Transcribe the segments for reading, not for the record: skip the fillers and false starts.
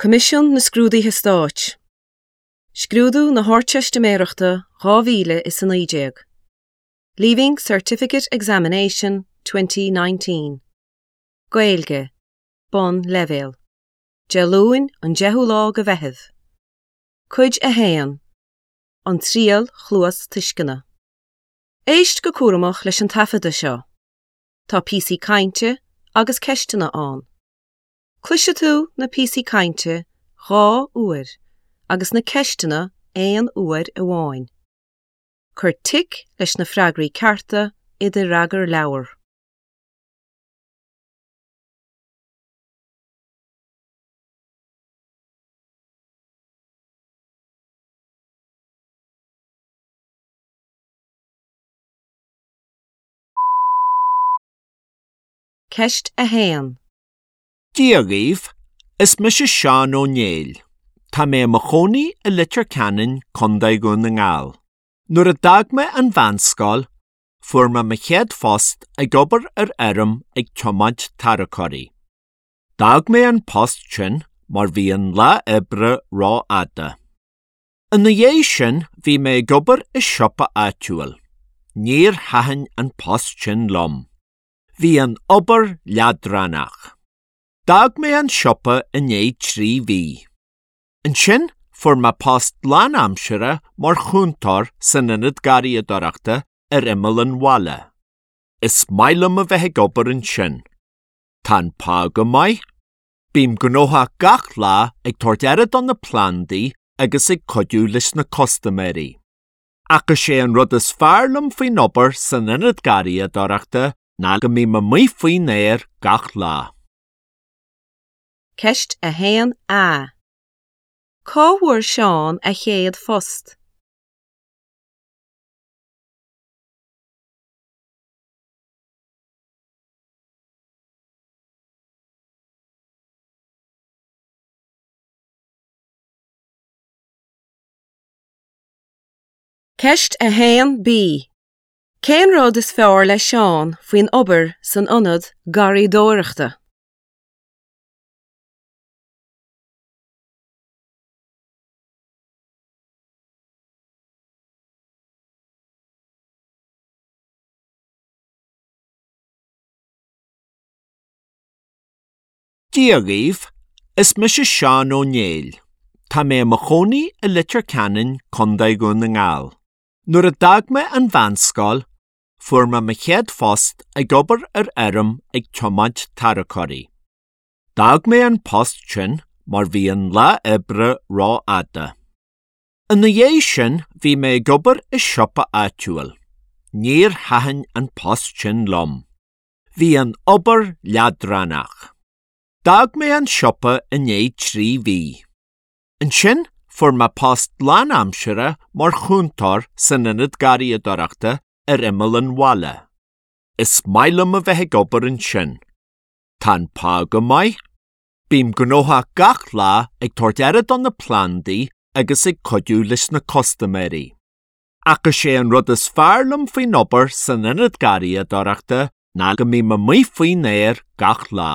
Coimisiún na Scrúduithe Stáit. Scrúdú na hArdteistiméireachta 2019. Leaving Certificate Examination 2019. Gaeilge, Bonnleibhéal. Dé Luain an 10ú lá de Mheitheamh. Cuid 1, An Triail Chluastuisceana. Éist go cúramach leis an taifeadadh seo. Tá píosaí cainte agus ceisteanna ann. Cloisfidh tú na píosaí cainte 2 uair agus na ceisteanna aon uair amháin. Cuir tic leis na freagraí cearta i do fhreagarleabhar. Ceist 1. Dia dhaoibh, is mise Seán Ó Néill. Tá mé i mo chónaí i Leitir Ceanainn, Contae Dhún na nGall. Nuair a d'fhág mé an mheánscoil, fuair mé mo chéad phost ag obair ar fheirm ag tiomáint tarracóirí. D'fhág mé an post sin mar bhí an lá oibre rófhada. Ina dhiaidh sin bhí mé ag obair i siopa áitiúil. Níor thaitin an post sin liom. Bhí an obair leadránach. D'fhág mé an siopa i ndiaidh 3 mhí. Ansin fuair mé post lánaimseartha mar chúntóir san ionad garraíodóireachta ar imeall an bhaile. Is maith liom a bheith ag obair ansin. Tá an pá go maith. Bím gnóthach gach lá ag tabhairt aire do na plandaí agus ag cuidiú leis na custaiméirí. Ach is é an rud is fearr liom faoin obair san ionad garraíodóireachta ná go mbím amuigh faoin aer gach lá. Ceist 1A. Cá bhfuair Seán a chéad phost? Ceist 1B. Cén rud is fearr le Seán faoin obair san ionad garraíodóireachta? Dia dhaoibh, is mise Seán Ó Néill. Tá mé i mo chónaí i Leitir Ceanainn, Contae Dhún na nGall. Nuair a d'fhág mé an mheánscoil, fuair mé mo chéad phost ag obair ar fheirm ag tiomáint tarracóirí. D'fhág mé an post sin mar bhí an lá oibre rófhada. Ina dhiaidh sin bhí mé ag obair i siopa áitiúil. Níor thaitin an post sin liom. Bhí an obair leadránach. D'fhág mé an siopa i ndiaidh 3 mhí. Ansin fuair mé post lánaimseartha mar chúntóir san ionad garraíodóireachta ar imeall an bhaile. Is maith liom a bheith ag obair ansin. Tá an pá go maith. Bím gnóthach gach lá ag tabhairt aire do na plandaí agus ag cuidiú leis na custaiméirí. Ach is é an rud is fearr liom faoin obair san ionad garraíodóireachta ná go mbím amuigh faoin aer gach lá.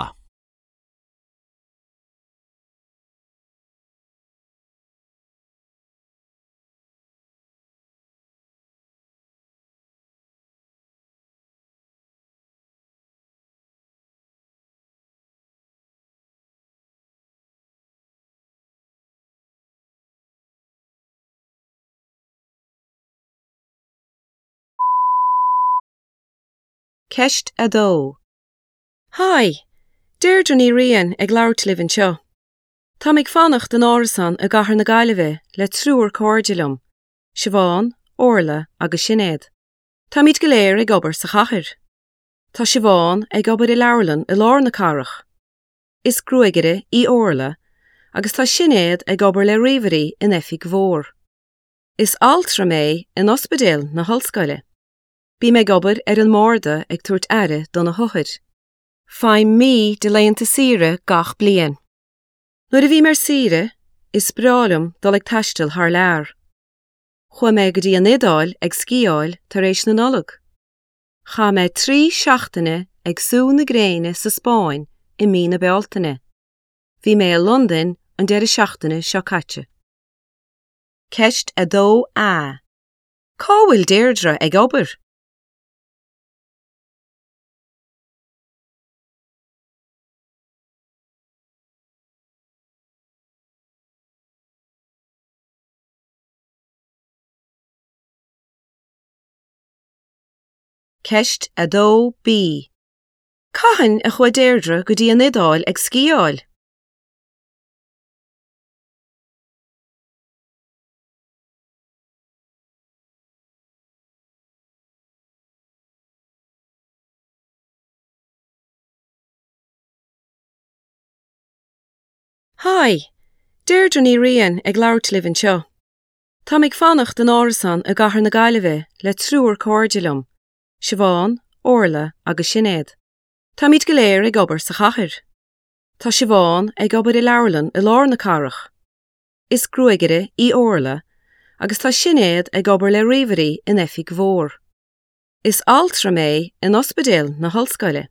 Ceist 2. Hi! Deirdre Ní Riain ag labhairt libh anseo. Táim ag fanacht in árasán i gcathair na Gaillimhe le triúr cairde liom, Siobhán, Orla agus Sinéad. Táimid go léir ag obair sa chathair. Tá Siobhán ag obair i leabharlann i lár na cathrach. Is gruagaire í Orla agus tá Sinéad ag obair le ríomhairí in oifig mhór. Is altra mé in ospidéal na hollscoile. Bím ag obair ar an mbarda ag tabhairt aire do na hothair. Faighim mí de laethanta saoire gach bliain. Nuair a bhím ar saoire, is breá liom dul ag taisteal thar lear. Chuaigh mé go dtí an Iodáil ag sciáil tar éis na Nollag. Chaith mé 3 seachtaine ag sú na gréine sa Spáinn i mí na Bealtaine. Bhí mé i Londain an deireadh seachtaine seo caite. Ceist 2A. Cá bhfuil Deirdre ag obair? Ceist 2B. Cathain a chuaigh Deirdre go dtí an Iodáil ag sciáil? Hi! Deirdre Ní Riain ag labhairt libh anseo. Táim ag fanacht in árasán i gcathair na Gaillimhe le triúr cairde liom, Siobhán, Orla agus Sinéad. Táimid go léir ag obair sa chathair. Tá Siobhán ag obair i leabharlann i lár na cathrach. Is gruagaire í Orla agus tá Sinéad ag obair le ríomhairí in oifig mhór. Is altra mé in ospidéal na hollscoile.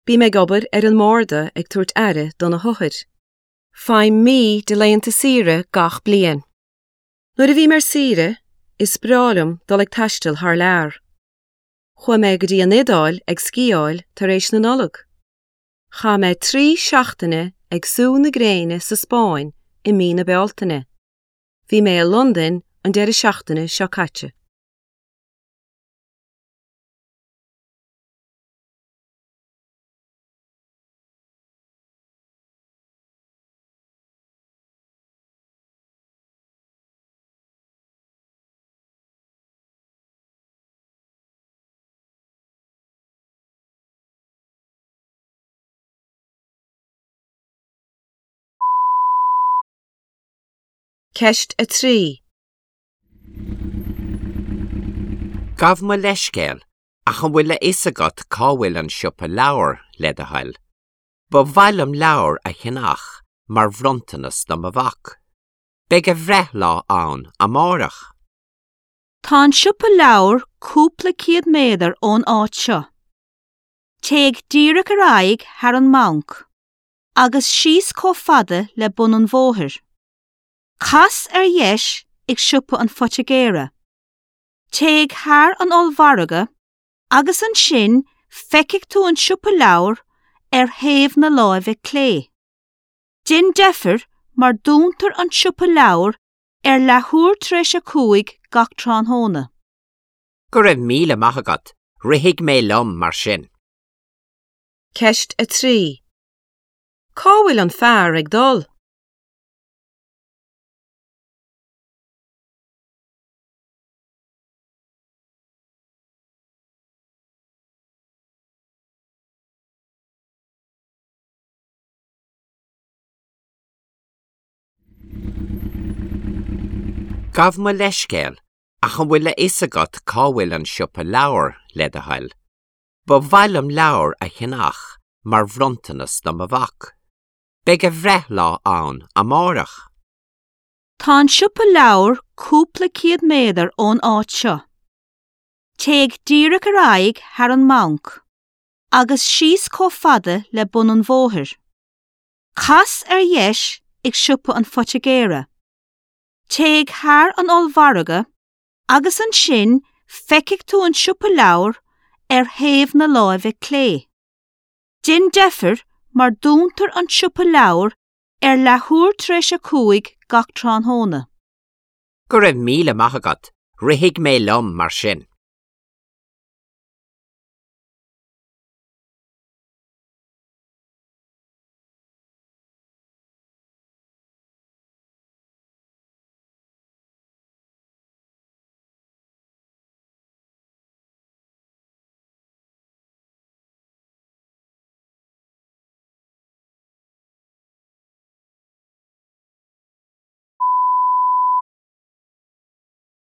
Bím ag obair ar an mbarda ag tabhairt aire do na hothair. Faighim mí de laethanta saoire gach bliain. Nuair a bhím ar saoire, is breá liom dul ag taisteal thar lear. Chuaigh mé go dtí an Iodáil ag sciáil tar éis na Nollag. Chaith mé 3 seachtaine ag sú na gréine sa Spáinn i mí na Bealtaine. Bhí mé i Londain an deireadh seachtaine seo caite. Ceist 3. Gabh mo leithscéal, ach an bhfuil a fhios agat cá bhfuil an siopa leabhar, le do thoil? Ba mhaith liom leabhar a cheannach mar bhronntanas do mo mhac. Beidh a bhreithlá ann amárach. Tá an siopa leabhar cúpla céad méadar ón áit seo. Téigh díreach ar aghaidh thar an mbanc, agus síos chomh fada le bun an bhóthair. Cas ar dheis ag siopa an phoitigéara. Téigh thar an ollmhargadh agus ansin feicfidh tú an siopa leabhar ar thaobh na láimhe clé. Déan deifir mar dúntar an siopa leabhar ar leathuair tar éis a 5 gach tráthnóna. Go raibh míle maith agat, rithfidh mé liom mar sin. Ceist 3. Cá bhfuil an fear ag dul? Gabh mo leithscéal, ach an bhfuil a fhios agat cá bhfuil an siopa leabhar, le do thoil? Ba mhaith liom leabhar a cheannach mar bhronntanas do mo mhac. Beidh a bhreithlá ann amárach. Tá an siopa leabhar cúpla céad méadar ón áit seo. Téigh díreach ar aghaidh thar an mbanc, agus síos chomh fada le bun an bhóthair. Cas ar dheis ag siopa an phoitigéara. Téigh thar an ollmhargadh agus ansin feicfidh tú an siopa leabhar ar thaobh na láimhe clé. Déan deifir mar dúntar an siopa leabhar ar leathuair tar éis a 5 gach tráthnóna. Go raibh míle maith agat, rithfidh mé liom mar sin.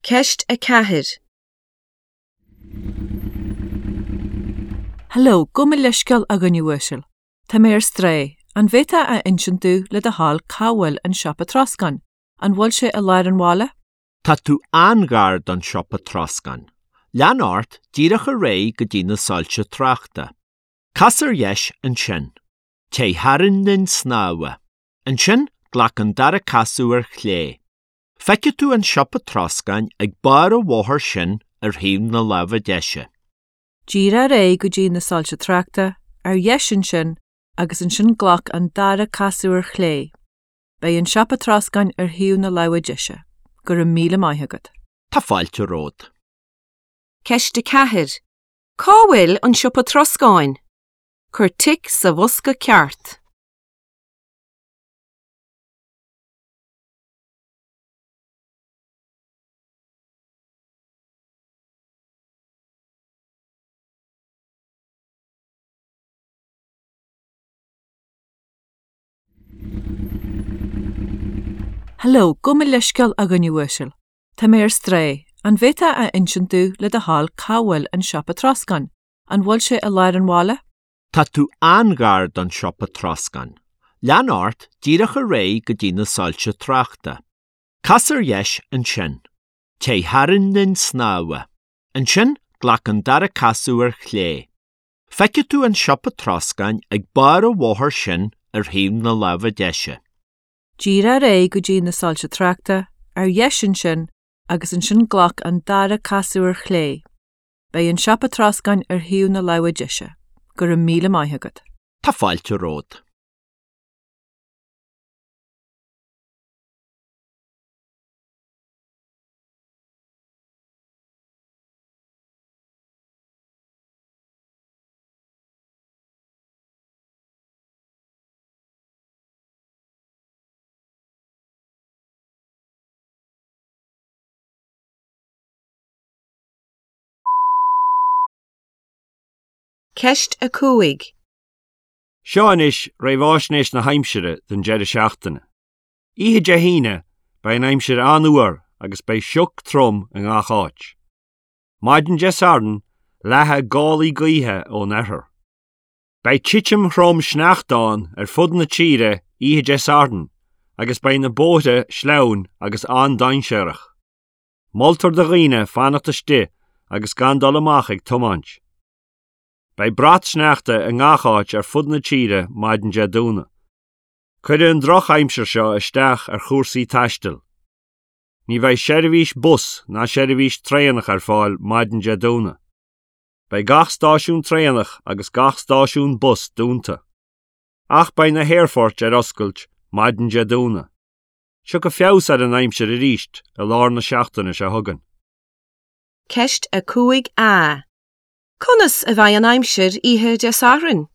Ceist 4. Hello, gabh mo leithscéal a dhuine uasail. Tá mé ar strae. An bhféadfá a insint domh le do thoil cá bhfuil an siopa troscáin? An bhfuil sé i lár an bhaile? Tá tú an-ghar don siopa troscáin. Lean ort díreach ar aghaidh go dtí na soilse tráchta. Cas ar dheis ansin. Téigh thar an linn snámha. Ansin. glac an dara casadh ar chlé. Feicfidh tú an siopa troscáin ag barr an bhóthair sin ar thaobh na láimhe deise. Díreach ar aghaidh go dtí na soilse tráchta, ar dheis ansin, agus ansin glac an dara casadh ar chlé. Beidh an siopa troscáin ar thaobh na láimhe deise. Go raibh míle maith agat. Tá fáilte romhat. Ceist 4. Cá bhfuil an siopa troscáin? Cuir tic sa bhosca ceart. Hello, gabh mo leithscéal a dhuine uasail. Tá mé ar strae. An bhféadfá a insint domh le do thoil cá bhfuil an siopa troscáin? An bhfuil sé i lár an bhaile? Tá tú an-ghar don siopa troscáin. Lean ort díreach ar aghaidh go dtí na soilse tráchta. Cas ar dheis ansin. Téigh thar an linn snámha. Ansin glac an dara casadh ar chlé. Feicfidh tú an siopa troscáin ag barr an bhóthair sin ar thaobh na láimhe deise. Díreach ar aghaidh go dtí na soilse tráchta, ar dheis ansin, agus ansin glac an dara casadh ar chlé. Beidh an siopa troscáin ar thaobh na láimhe deise. Go raibh míle maith agat. Tá fáilte romhat. Ceist 5. Seo anois réamháisnéis na haimsire don deireadh seachtaine. Oíche Dé hAoine, beidh an aimsir an-fhuar agus beidh sioc trom i ngach áit. Maidin Dé Sathairn, leathfaidh gálaí gaoithe ón oirthear. Beidh titim throm sneachta ann ar fud na tíre oíche Dé Sathairn agus beidh na bóithre sleamhain agus an-dainséarach. Moltar do dhaoine fanacht istigh agus gan dul amach ag tiomáint. Beidh brat sneachta i ngach áit ar fud na tíre maidin Dé Domhnaigh. Cuirfidh an drochaimsir seo isteach ar chúrsaí taistil. Ní bheidh seirbhís bus ná seirbhís traenach ar fáil maidin Dé Domhnaigh. Beidh gach stáisiún traenach agus gach stáisiún bus dúnta. Ach beidh na haerfoirt ar oscailt maidin Dé Domhnaigh. Tiocfaidh feabhas ar an aimsir arís i lár na seachtaine seo chugainn. Ceist 5A. Conas a bheidh an aimsir oíche Dé Sathairn?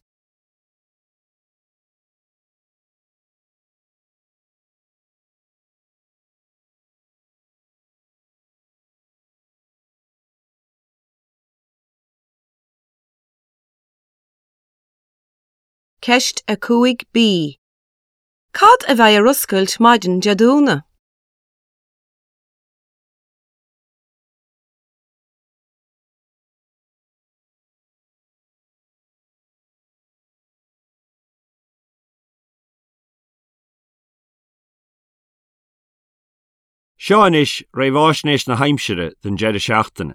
Ceist 5B. Cad a bheidh ar oscailt maidin Dé Domhnaigh? Seo anois réamháisnéis na haimsire don deireadh seachtaine.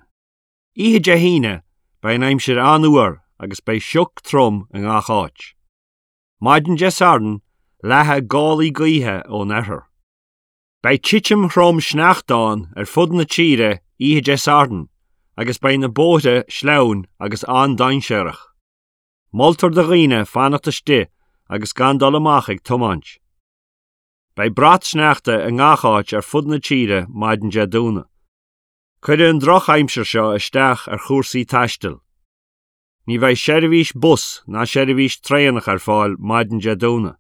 Oíche Dé hAoine, beidh an aimsir an-fhuar agus beidh sioc trom i ngach áit. Maidin Dé Sathairn, leathfaidh gálaí gaoithe ón oirthear. Beidh titim throm sneachta ann ar fud na tíre oíche Dé Sathairn agus beidh na bóithre sleamhain agus an-dainséarach. Moltar do dhaoine fanacht istigh agus gan dul amach ag tiomáint. Beidh brat sneachta i ngach áit ar fud na tíre maidin Dé Domhnaigh. Cuirfidh an drochaimsir seo isteach ar chúrsaí taistil. Ní bheidh seirbhís bus ná seirbhís traenach ar fáil maidin Dé Domhnaigh.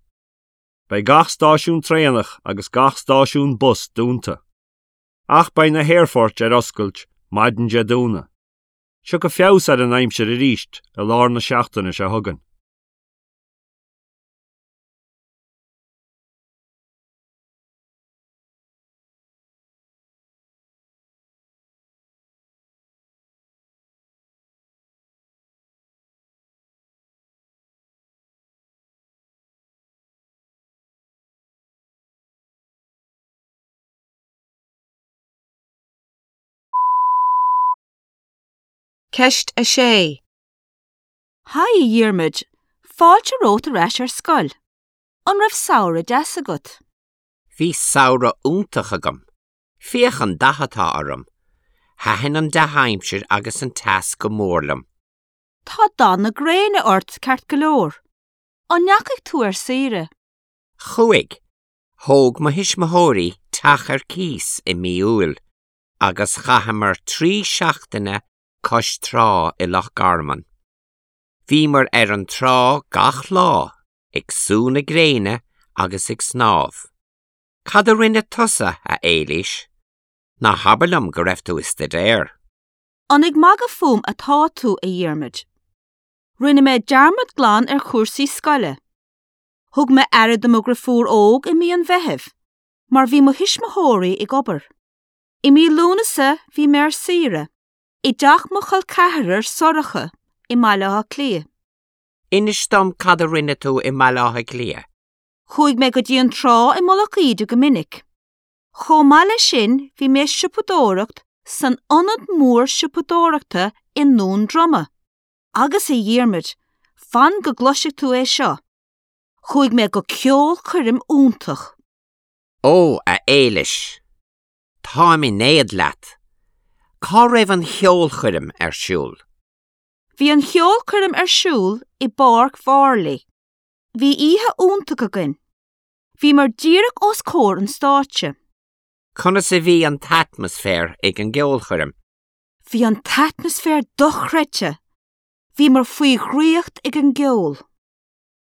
Beidh gach stáisiún traenach agus gach stáisiún bus dúnta. Ach beidh na haerfoirt ar oscailt maidin Dé Domhnaigh. Tiocfaidh feabhas ar an aimsir arís i lár na seachtaine seo chugainn. Ceist 6. Haigh a Dhiarmuid, fáilte romhat ar ais ar scoil. An raibh samhradh deas agat? Bhí samhradh iontach agam. Féach an dath atá orm. Thaitin an dea-aimsir agus an teas go mór liom. Tá dath na gréine ort ceart go leor. An ndeachaigh tú ar saoire? Chuaigh. Thóg mo thuismitheoirí teach ar cíos i mí Iúil agus chaitheamar 3 seachtaine cois trá i Loch Garman. Bhíomar ar an trá gach lá, ag sú na gréine agus ag snámh. Cad a rinne tusa, a Éilís? Ná habair liom go raibh tú i staidéar? An ag magadh fúm atá tú, a Dhiarmaid? Rinne mé dearmad glan ar chúrsaí scoile. Thug mé aire do mo dhrifiúr óg i mí an Mheithimh, mar bhí mo thuismitheoirí ag obair. I mí Lúnasa bhí mé ar saoire, i dteach mo chol ceathrar Sorcha i mBaile Átha Cliath. Inis dom cad a rinne tú i mBaile Átha Cliath. Chuaigh mé go dtí an trá i Mullach Íde go minic. Chomh maith leis sin bhí mé ag siopadóireacht san ionad mór siopadóireachta i nDún Droma. Agus a Dhiarmaid, fan go gcloisfidh tú é seo! Chuaigh mé go ceolchoirm iontach. Ó, a Éilis! Táim in éad leat! Cá raibh an cheolchoirm ar siúl? Bhí an cheolchoirm ar siúl i bPáirc Mharlaí. Bhí oíche iontach againn. Bhíomar díreach os comhair an stáitse. Conas a bhí an t-atmaisféar ag an gceolchoirm? Bhí an t-atmaisféar dochreidte! Bhíomar faoi dhraíocht ag an gceol.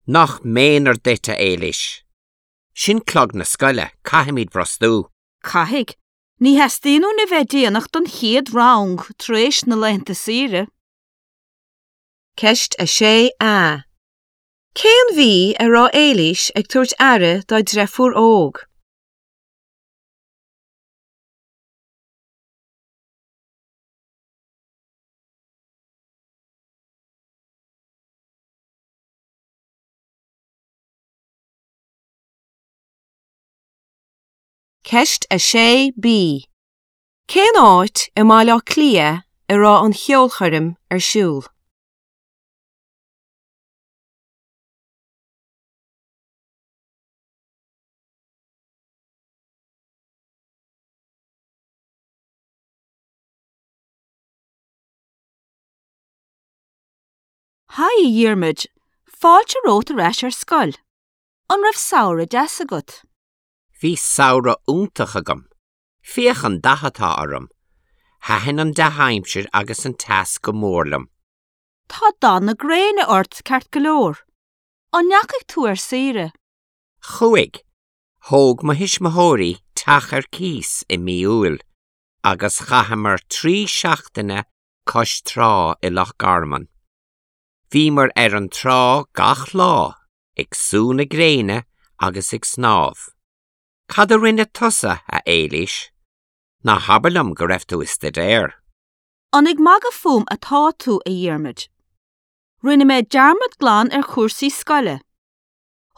Nach méanar duit, a Éilís! Sin clog na scoile, caithfimid brostú. Caithfidh. Ní theastaíonn uainn a bheith déanach don chéad rang tar éis na laethanta saoire. Ceist 6A. Cén mhí a raibh Éilís ag tabhairt aire dá deirfiúr óg? Ceist 6B. Cén áit i mBaile Átha Cliath a raibh an cheolchoirm ar siúl? Haigh a Dhiarmaid, fáilte romhat ar ais ar scoil. An raibh samhradh deas agat? Bhí samhradh iontach agam. Féach an dath atá orm. Thaitin an dea-aimsir agus an teas go mór liom. Tá dath na gréine ort ceart go leor. An ndeachaigh tú ar saoire? Chuaigh. Thóg mo thuismitheoirí teach ar cíos i mí Iúil agus chaitheamar 3 seachtaine cois trá i Loch Garman. Bhíomar ar an trá gach lá, ag sú na gréine agus ag snámh. Cad a rinne tusa, a Éilís? Ná habair liom go raibh tú i staidéar? An ag magadh fúm atá tú, a Dhiarmaid? Rinne mé dearmad glan ar chúrsaí scoile.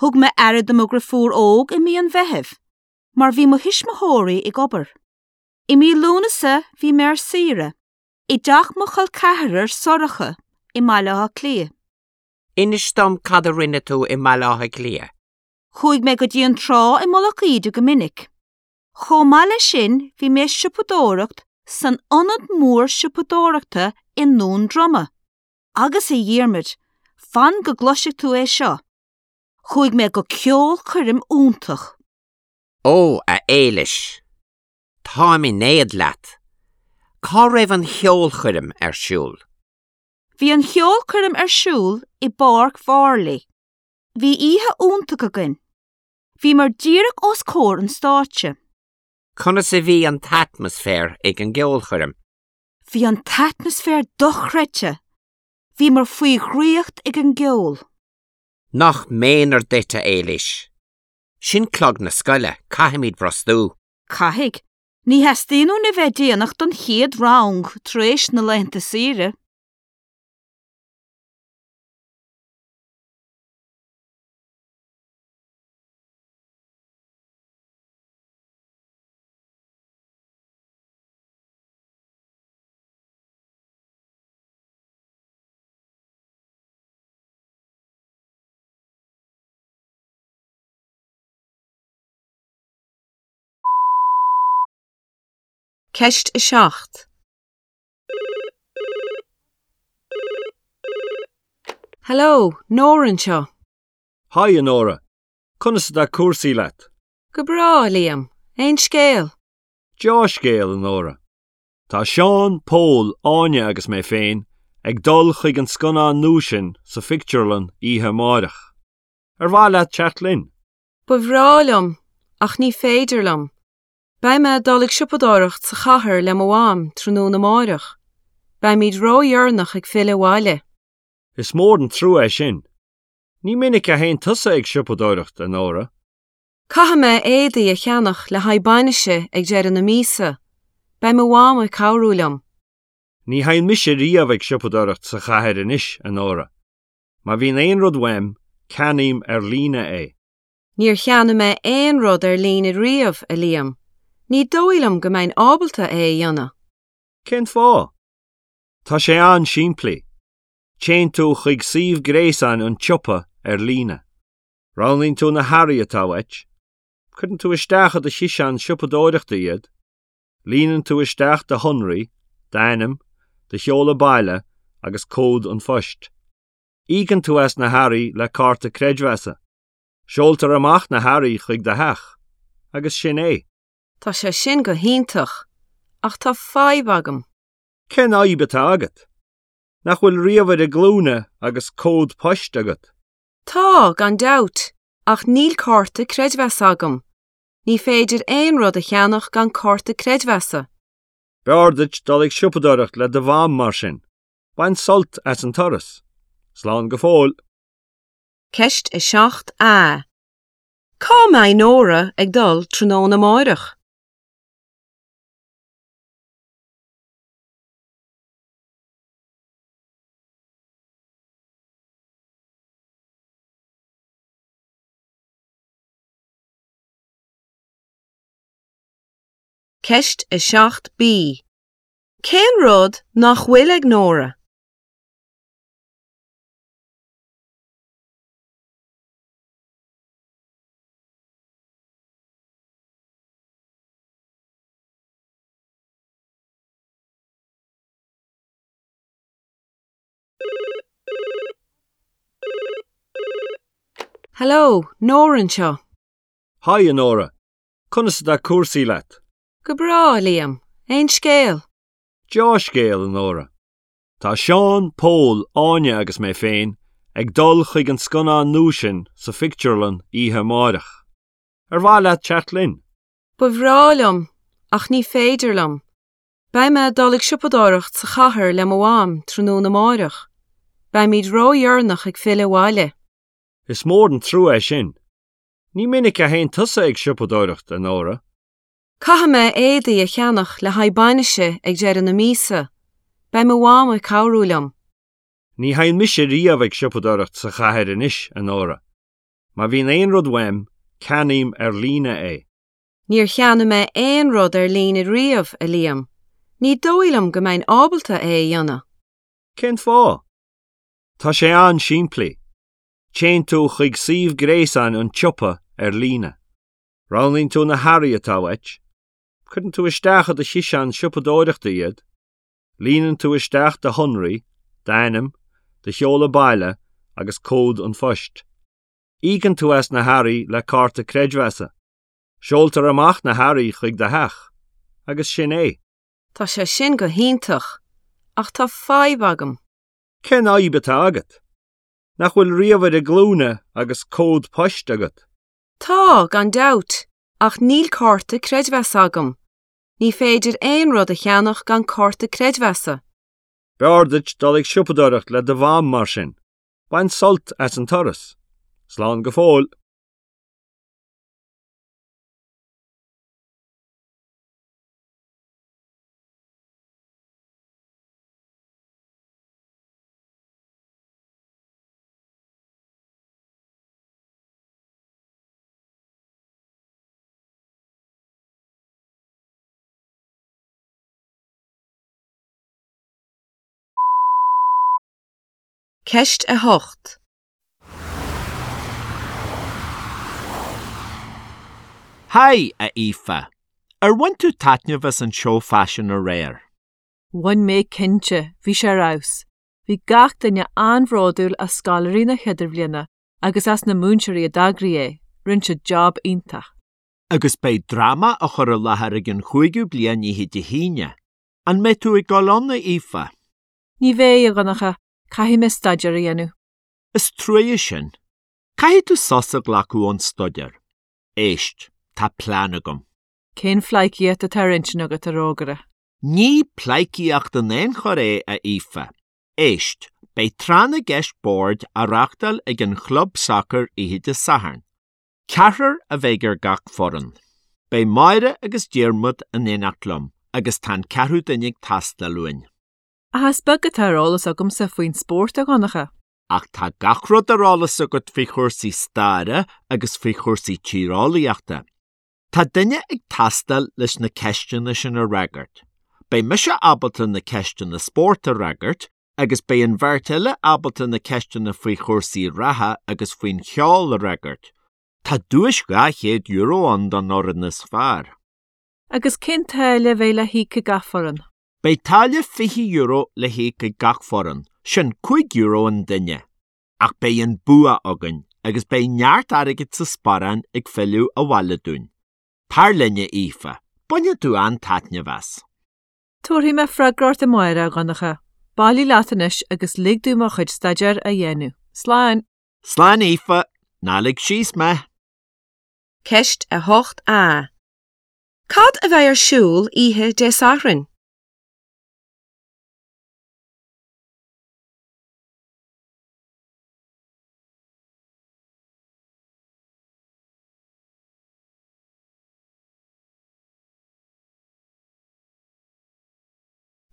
Thug mé aire do mo dhrifiúr óg i mí an Mheithimh, mar bhí mo thuismitheoirí ag obair. I mí Lúnasa bhí mé ar saoire, i dteach mo chol ceathrar Sorcha i mBaile Átha Cliath. Inis dom cad a rinne tú i mBaile Átha Cliath. Chuaigh mé go dtí an trá i Mullach Íde go minic. Chomh maith leis sin bhí mé ag siopadóireacht san ionad mór siopadóireachta i nDún Droma. Agus a Dhiarmaid, fan go gcloisfidh tú é seo! Chuaigh mé go ceolchoirm iontach. Ó, a Éilis! Táim in éad leat! Cá raibh an cheolchoirm ar siúl? Bhí an cheolchoirm ar siúl i bPáirc Mharlaí. Bhí oíche iontach againn. Bhíomar díreach os comhair an stáitse. Conas a bhí an t-atmaisféar ag an gceolchoirm? Bhí an t-atmaisféar dochreidte! Bhíomar faoi dhraíocht ag an gceol. Nach méanar duit, a Éilís! Sin clog na scoile, caithfimid brostú. Caithfidh. Ní theastaíonn uainn a bheith déanach don chéad rang tar éis na laethanta saoire. Ceist 7. Hello, Nóra anseo. Haigh, a Nóra. Conas atá cúrsaí leat? Go breá, a Liam. Aon scéal? Deá-scéal, a Nóra. Tá Seán, Pól, Áine agus mé féin ag dul chuig an scannán nua sin sa phictiúrlann oíche amáireach. Ar mhaith leat teacht linn? Ba bhreá liom, ach ní féidir liom. Beidh mé ag dul ag siopadóireacht sa chathair le mo mham tráthnóna amáireach. Beimid ródheireanach ag filleadh abhaile. Is mór an trua é sin. Ní minic a théann tusa ag siopadóireacht, a Nóra. Caithfidh mé éadaí a cheannach le haghaidh bainise ag deireadh na míosa. Beidh mo mham ag cabhrú liom. Ní théann mise riamh ag siopadóireacht sa chathair anois, a Nóra. Má bhíonn aon rud uaim, ceannaím ar líne é. Níor cheannaigh mé aon rud ar líne riamh, a Liam. Ní dóigh liom go mbeinn ábalta é a dhéanamh. Cén fáth? Tá sé an-simplí. Téann tú chuig suíomh gréasáin an tsiopa ar líne. Roghnaíonn tú na hearraí atá uait. Cuireann tú isteach i do chiseán siopadóireachta iad. Líonann tú isteach do shonraí, d'ainm, do sheoladh baile agus cód an phoist. Íocann tú as na hearraí le cárta creidmheasa. Seoltar amach na hearraí chuig do theach. Agus sin é. Tá sé sin go hiontach, ach tá fadhb agam. Cén fhadhb atá agat? Nach bhfuil ríomhaire glúine agus cód poist agat? Tá, gan dabht, ach níl cárta creidmheasa agam. Ní féidir aon rud a cheannach gan cárta creidmheasa. B'fhearr duit dul ag siopadóireacht le do mham mar sin. Bain sult as an turas. Slán go fóill. Ceist 7A. Cá mbeidh Nóra ag dul tráthnóna amáireach? Ceist 7B. Cén rud nach bhfuil ag Nóra? Hello, Nóra anseo. Haigh, a Nóra. Conas atá cúrsaí leat? Go breá, a Liam. Aon scéal? Deá-scéal, a Nóra. Tá Seán, Pól, Áine agus mé féin ag dul chuig an scannán nua sin sa phictiúrlann oíche amáireach. Ar mhaith leat teacht linn? Ba bhreá liom, ach ní féidir liom. Beidh mé ag dul ag siopadóireacht sa chathair le mo mham tráthnóna amáireach. Beimid ródheireanach ag filleadh abhaile. Is mór an trua é sin. Ní minic a théann tusa ag siopadóireacht, a Nóra. Caithfidh mé éadaí a cheannach le haghaidh bainise ag deireadh na míosa. Beidh mo mham ag cabhrú liom. Ní théann mise riamh ag siopadóireacht sa chathair anois, a Nóra. Má bhíonn aon rud uaim, ceannaím ar líne é. Níor cheannaigh mé aon rud ar líne riamh, a Liam. Ní dóigh liom go mbeinn ábalta é a dhéanamh. Cén fáth? Tá sé an-simplí. Téann tú chuig suíomh gréasáin an tsiopa ar líne. Roghnaíonn tú na hearraí atá uait. Cuireann tú isteach i do chiseán siopadóireachta iad. Líonann tú isteach do shonraí, d'ainm, do sheoladh baile agus cód an phoist. Íocann tú as na hearraí le cárta creidmheasa. Seoltar amach na hearraí chuig do theach. Agus sin é. Tá sé sin go hiontach, ach tá fadhb agam. Cén fhadhb atá agat? Nach bhfuil ríomhaire glúine agus cód poist agat? Tá, gan dabht, ach níl cárta creidmheasa agam. Ní féidir aon rud a cheannach gan cárta creidmheasa. B'fhearr duit dul ag siopadóireacht le do mham mar sin. Bain sult as an turas. Slán go fóill. Ceist 8. Haigh, a Aoife. Ar bhain tú taitneamh as an seó faisin aréir? Bhain mé cinnte, bhí sé ar fheabhas. Bhí gach duine an-bhródúil as scoláirí na hIdirbhliana agus as na múinteoirí a d'eagraigh é, rinne siad job iontach. Agus beidh dráma á chur i láthair ag an chúigiú bliain oíche Dé hAoine. An mbeidh tú ag dul ann, a Aoife? Ní bheidh, a Dhonncha, caithfidh mé staidéar a dhéanamh. Is trua sin. Caithfidh tú sos a ghlacadh ón staidéar. Éist, tá plean agam. Cén phleidhcíocht atá ar intinn agat, a rógaire? Ní pleidhcíocht in aon chor é, a Aoife. Éist, beidh tráth na gceist boird á reáchtáil ag an chlub sacair oíche Dé Sathairn. Ceathrar a bheidh ar gach foireann. Beidh Máire agus Diarmuid in éineacht liom agus tá an ceathrú duine ag teastáil uainn. Ach is beag atá ar eolas agamsa faoin spórt, a Dhonncha. Ach tá gach rud ar eolas agat faoi chúrsaí staire agus faoi chúrsaí tíreolaíochta. Tá duine ag teastáil leis na ceisteanna sin a fhreagairt. Beidh mise ábalta na ceisteanna spóirt a fhreagairt agus beidh an bheirt eile ábalta na ceisteanna faoi chúrsaí reatha agus faoin cheol a fhreagairt. Tá duais €200 ann don fhoireann is fearr. Agus cén táille a bheidh le híoc ag gach foireann? Beidh táille €20 le híoc ag gach foireann, sin €5 an duine. Ach beidh an bua againn agus beidh neart airgid sa sparán ag filleadh abhaile dúinn. Tar linn, a Aoife, bainfidh tú an-taitneamh as. Tabharfaidh mé freagra ort amárach, a Dhonncha. Bailigh leat anois agus lig domh mo chuid staidéir a dhéanamh. Slán! Slán, a Aoife. Ná lig síos mé! Ceist 8A. Cad a bheidh ar siúl oíche Dé Sathairn?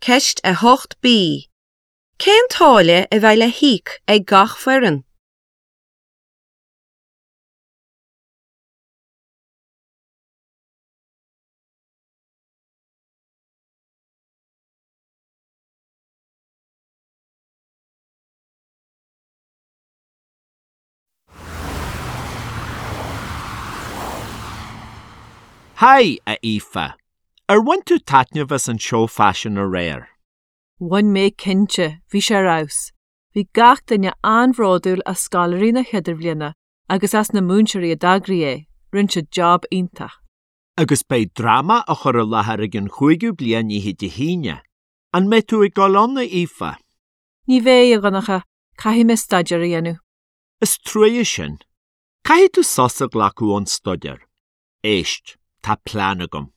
Ceist 8B. Cén táille a bheidh le híoc ag gach foireann? Haigh, a Aoife. Ar bhain tú taitneamh as an seó faisin aréir? Bhain mé cinnte, bhí sé ar fheabhas. Bhí gach duine an-bhródúil as scoláirí na hIdirbhliana agus as na múinteoirí a d'eagraigh é, rinne siad job iontach. Agus beidh dráma á chur i láthair ag an chúigiú bliain oíche Dé hAoine. An mbeidh tú ag dul ann, a Aoife? Ní bheidh, a Dhonncha, caithfidh mé staidéar a dhéanamh. Is trua sin. Caithfidh tú sos a ghlacadh ón staidéar. Éist, tá plean agam.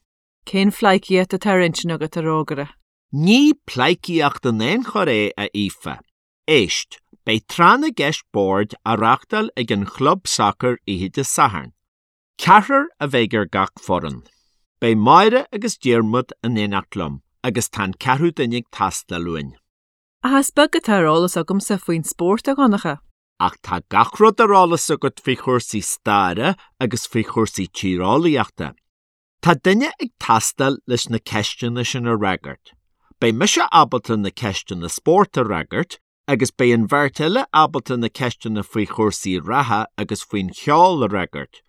Cén phleidhcíocht atá ar intinn agat, a rógaire? Ní pleidhcíocht in aon chor é, a Aoife. Éist, beidh tráth na gceist boird á reáchtáil ag an chlub sacair oíche Dé Sathairn. Ceathrar a bheidh ar gach foireann. Beidh Máire agus Diarmuid in éineacht liom agus tá an ceathrú duine ag teastáil uainn. Ach is beag atá ar eolas agamsa faoin spórt, a Dhonncha. Ach tá gach rud ar eolas agat faoi chúrsaí staire agus faoi chúrsaí tíreolaíochta. Tá duine ag teastáil leis na ceisteanna sin a fhreagairt. Beidh mise ábalta na ceisteanna spóirt a fhreagairt agus beidh an bheirt eile ábalta na ceisteanna faoi chúrsaí reatha agus faoin cheol a fhreagairt.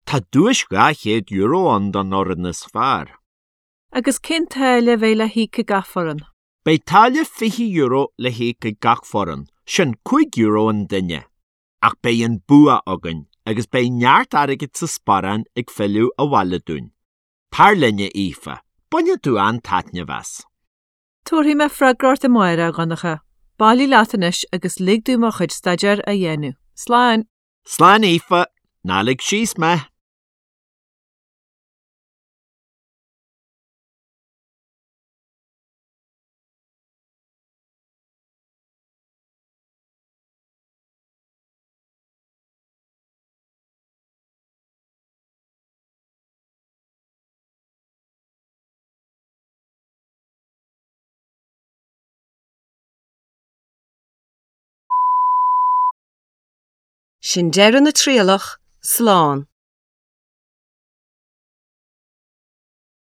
Tá duais €200 ann don fhoireann is fearr. Agus cén táille a bheidh le híoc ag gach foireann? Beidh táille €20 le híoc ag gach foireann, sin €5 an duine. Ach beidh an bua againn agus beidh neart airgid sa sparán ag filleadh abhaile dúinn. Tar linn, a Aoife, bainfidh tú an-taitneamh as. Tabharfaidh mé freagra ort amárach, a Dhonncha. Bailigh leat anois agus lig domh mo chuid staidéir a dhéanamh. Slán! Slán, a Aoife. Ná lig síos mé! Sin deireadh na trialach, slán.